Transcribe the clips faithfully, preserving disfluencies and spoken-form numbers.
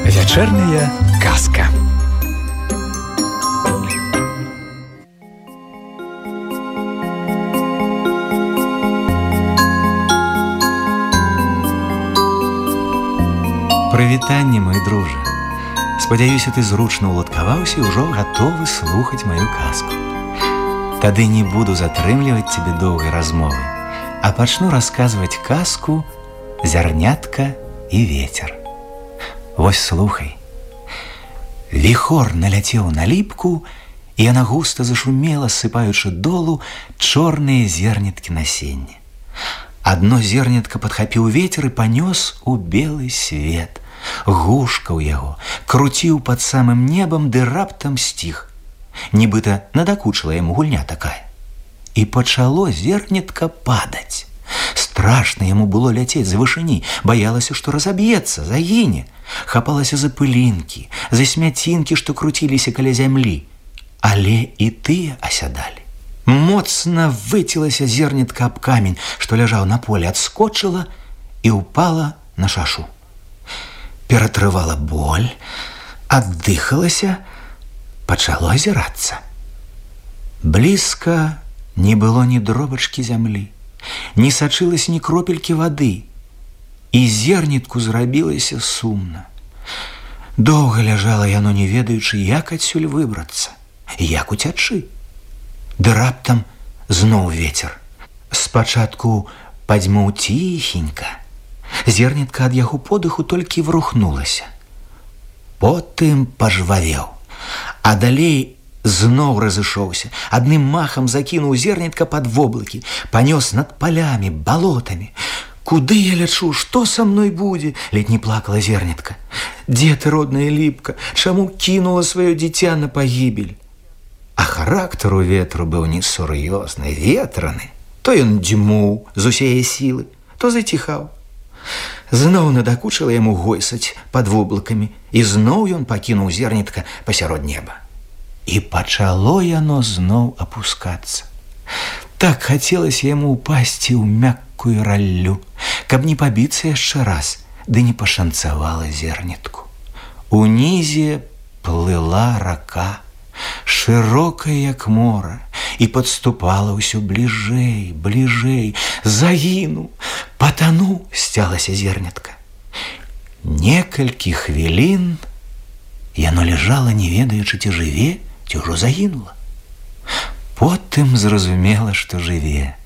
Вечерняя казка. Прывітанне, мой дружа. Спадзяюся, ты зручна ўладкаваўся і ўжо гатовы слухаць маю казку. Тады не буду затрымліваць цябе доўгай размовы, а пачну расказваць казку «Зярнятка і вецер». Вось слухай. Віхор наляцеў на ліпку, і яна густа зашумела, сыпаючы долу чорныя зерняткі насення. Адно зернятка падхапіў вецер і панёс у белы свет. Гушкаў яго, круціў пад самым небам, ды раптам сціх. Нібыта надакучыла яму гульня такая. І пачало зернятка падаць. Страшна яму было ляцець з вышыні, баялася, што разаб'ецца, загіне. Хапалася за пылінкі, за смяцінкі, што круціліся каля зямлі. Але і тыя асядалі. Моцна выцілася зернятка аб камень, што ляжаў на поле, адскочыла і ўпала на шашу. Ператрывала боль, аддыхалася, пачало азірацца. Блізка не было ні дробачкі зямлі, не сачылася ні кропелькі вады, і зернятку зрабілася сумна. Доўга ляжала яно, не ведаючы, як адсюль выбрацца, як уцячы. Ды раптам зноў вецер. Спачатку падзьмуў ціхенька. Зернятка ад яго подыху толькі врухнулася. Потым пажвавеў, а далей зноў разышоўся, адным махам закінуў зернятка пад воблакі, панёс над палямі, балотамі. Куды я лячу, што са мной будзе? Ледь не плакала зернятка. Дзе ты, родная ліпка, чаму кінула сваё дзіця на пагібель? А характар у ветру быў несур'ёзны, ветраны. То ён дзьмуў з усяе сілы, то заціхаў. Зноў надакучыла яму гойсаць пад воблакамі, і зноў ён пакінуў зернятка пасярод неба. І пачало яно зноў апускацца. Так хацелася яму ўпасці ў мяккую раллю, каб не пабіцца яшчэ раз, ды не пашанцавала зернятку. Унізе плыла рака, шырокая, як мора, і падступала ўсё бліжэй, бліжэй. Загіну, патану, сцялася зернятка. Некалькі хвілін яно ляжала, не ведаючы, ці жыве, ці ўжо загінула. Потым зразумела, што жыве.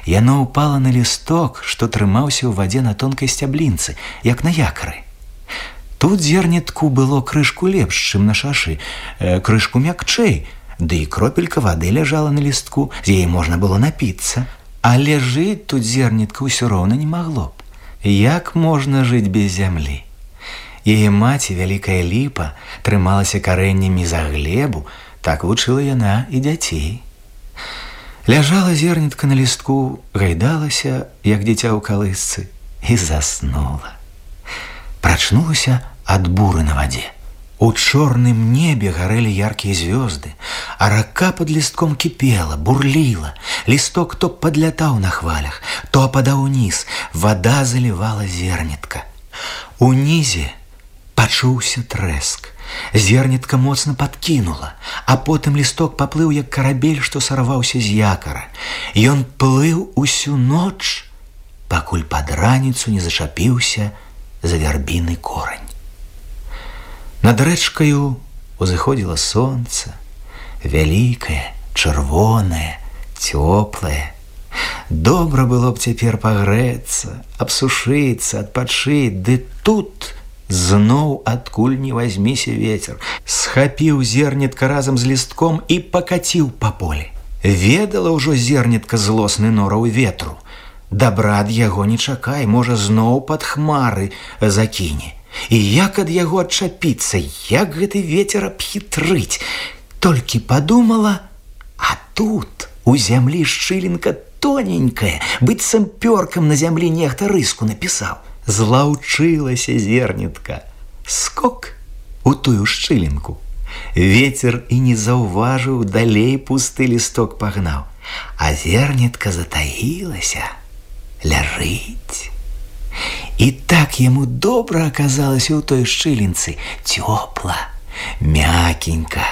Яно ўпала на лісток, што трымаўся ў вадзе на тонкай сцяблінцы, як на якары. Тут зернятку было крышку лепш, чым на шашы, э, крышку мякчэй, ды і кропелька вады ляжала на лістку, з яе можна было напіцца. Але жыць тут зернятка ўсё роўна не магло б. Як можна жыць без зямлі? Яе маці, вялікая ліпа, трымалася карэннямі за глебу, так вучыла яна і дзяцей. Ляжала зернятка на лістку, гайдалася, як дзіця ў калысцы, і заснула. Прачнулася ад буры на вадзе. У чорным небе гарэлі яркія звёзды, а рака пад лістком кіпела, бурліла. Лісток то падлятаў на хвалях, то ападаў уніз, вада залівала зернятка. Унізе пачуўся трэск. Зернятка моцна падкінула, а потым лісток паплыў, як карабель, што сарваўся з якара. Ён плыў усю ноч, пакуль пад раніцу не зачапіўся за вярбіны корань. Над рэчкаю узыходзіла сонца, вялікае, чырвонае, цёплае. Добра было б цяпер пагрэцца, абсушыцца, адпачыць, ды тут зноў адкуль не вазьміся вецер. Схапіў зернятка разам з лістком і пакаціў па полі. Ведала ўжо зернятка злосны нораў ветру. Дабра ад яго не чакай, можа, зноў пад хмары закіне. І як ад яго адчапіцца, як гэты вецер абхітрыць. Толькі падумала, а тут у зямлі шчылінка тоненькая, быццам пёркам на зямлі нехта рыску напісаў. Злаўчылася зернятка. Скок у тую шчылінку. Ветер і не заўважыў, далей пусты лісток пагнаў, а зернятка затаілася, ляжыць. І так яму добра аказалася ў той шчылінцы, цёпла, мякенька,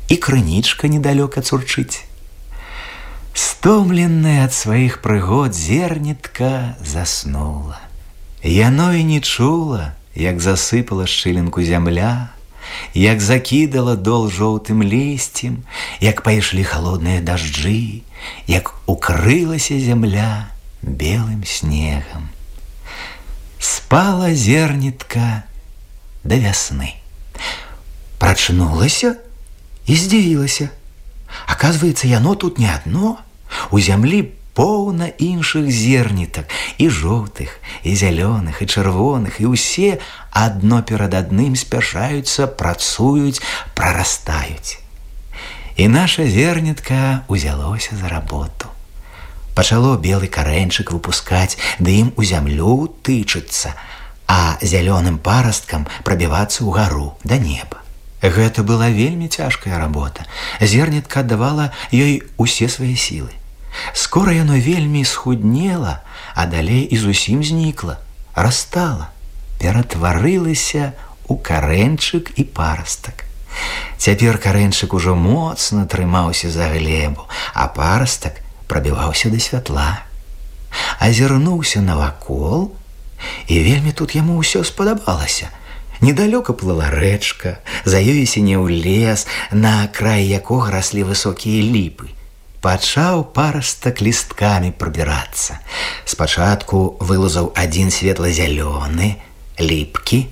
і крынічка недалёка цурчыць. Стомленная ад сваіх прыгод, зернятка заснула. Яно і не чула, як засыпала шчылінку зямля, як закідала дол жоўтым лісцем, як пайшлі халодныя дажджы, як укрылася зямля белым снегам. Спала зернятка да вясны. Прачнулася і здзівілася. Аказваецца, яно тут не адно. У зямлі поўна іншых зернятак, і жоўтых, і зялёных, і чырвоных, і ўсе адно перад адным спяшаюцца, працуюць, прарастаюць. І наша зернятка узялося за работу. Пачало белы карэньчык выпускаць, ды ім у зямлю тычыцца, а зялёным парасткам прабівацца ўгару да неба. Гэта была вельмі цяжкая работа. Зернятка аддавала ёй усе свае сілы. Скора яно вельмі схуднела, а далей і зусім знікла, растала, ператварылася ў карэньчык і парастак. Цяпер карэньчык ужо моцна трымаўся за глебу, а парастак прабіваўся да святла. Азірнуўся навакол, і вельмі тут яму ўсё спадабалася. Недалёка плыла рэчка, за ёй сінеў лес, на краі якога раслі высокія ліпы. Пачаў парастак лісткамі прабірацца. Спачатку вылазаў адзін светла-зялёны, ліпкі,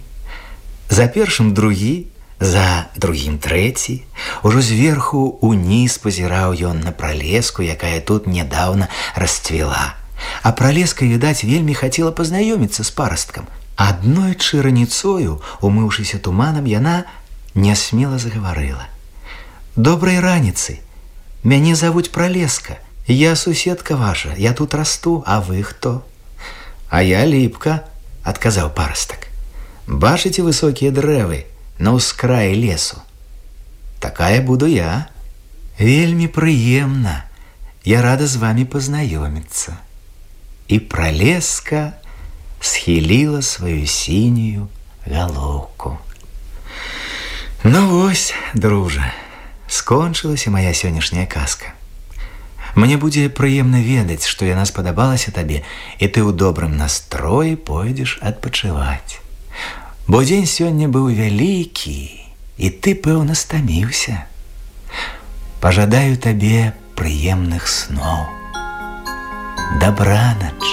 за першым другі, за другім трэці. Ужо зверху уніз пазіраў ён на пралеску, якая тут нядаўна расцвіла. А пралеска, відаць, вельмі хацела пазнаёміцца з парасткам. Аднойчы раніцою, умыўшыся туманам, яна нясмела загаварыла. «Добрай раніцы! Мяне завуць Пралеска. Я суседка ваша, я тут расту, а вы хто?» «А я ліпка», – адказаў парастак. «Бачыце высокія дрэвы на ўскраі лесу? Такая буду я. Вельмі прыемна. Я рада з вамі пазнаёміцца». І Пралеска схіліла сваю сінюю галоўку. Ну вось, дружа, скончылася моя сённяшняя казка. Мне будзе прыемна ведаць, што яна спадабалася табе, і ты ў добрым настроі пойдзеш адпачываць. Бо дзень сёння быў вялікі, і ты, пэўна, стаміўся. Пажадаю табе прыемных сноў. Добранач.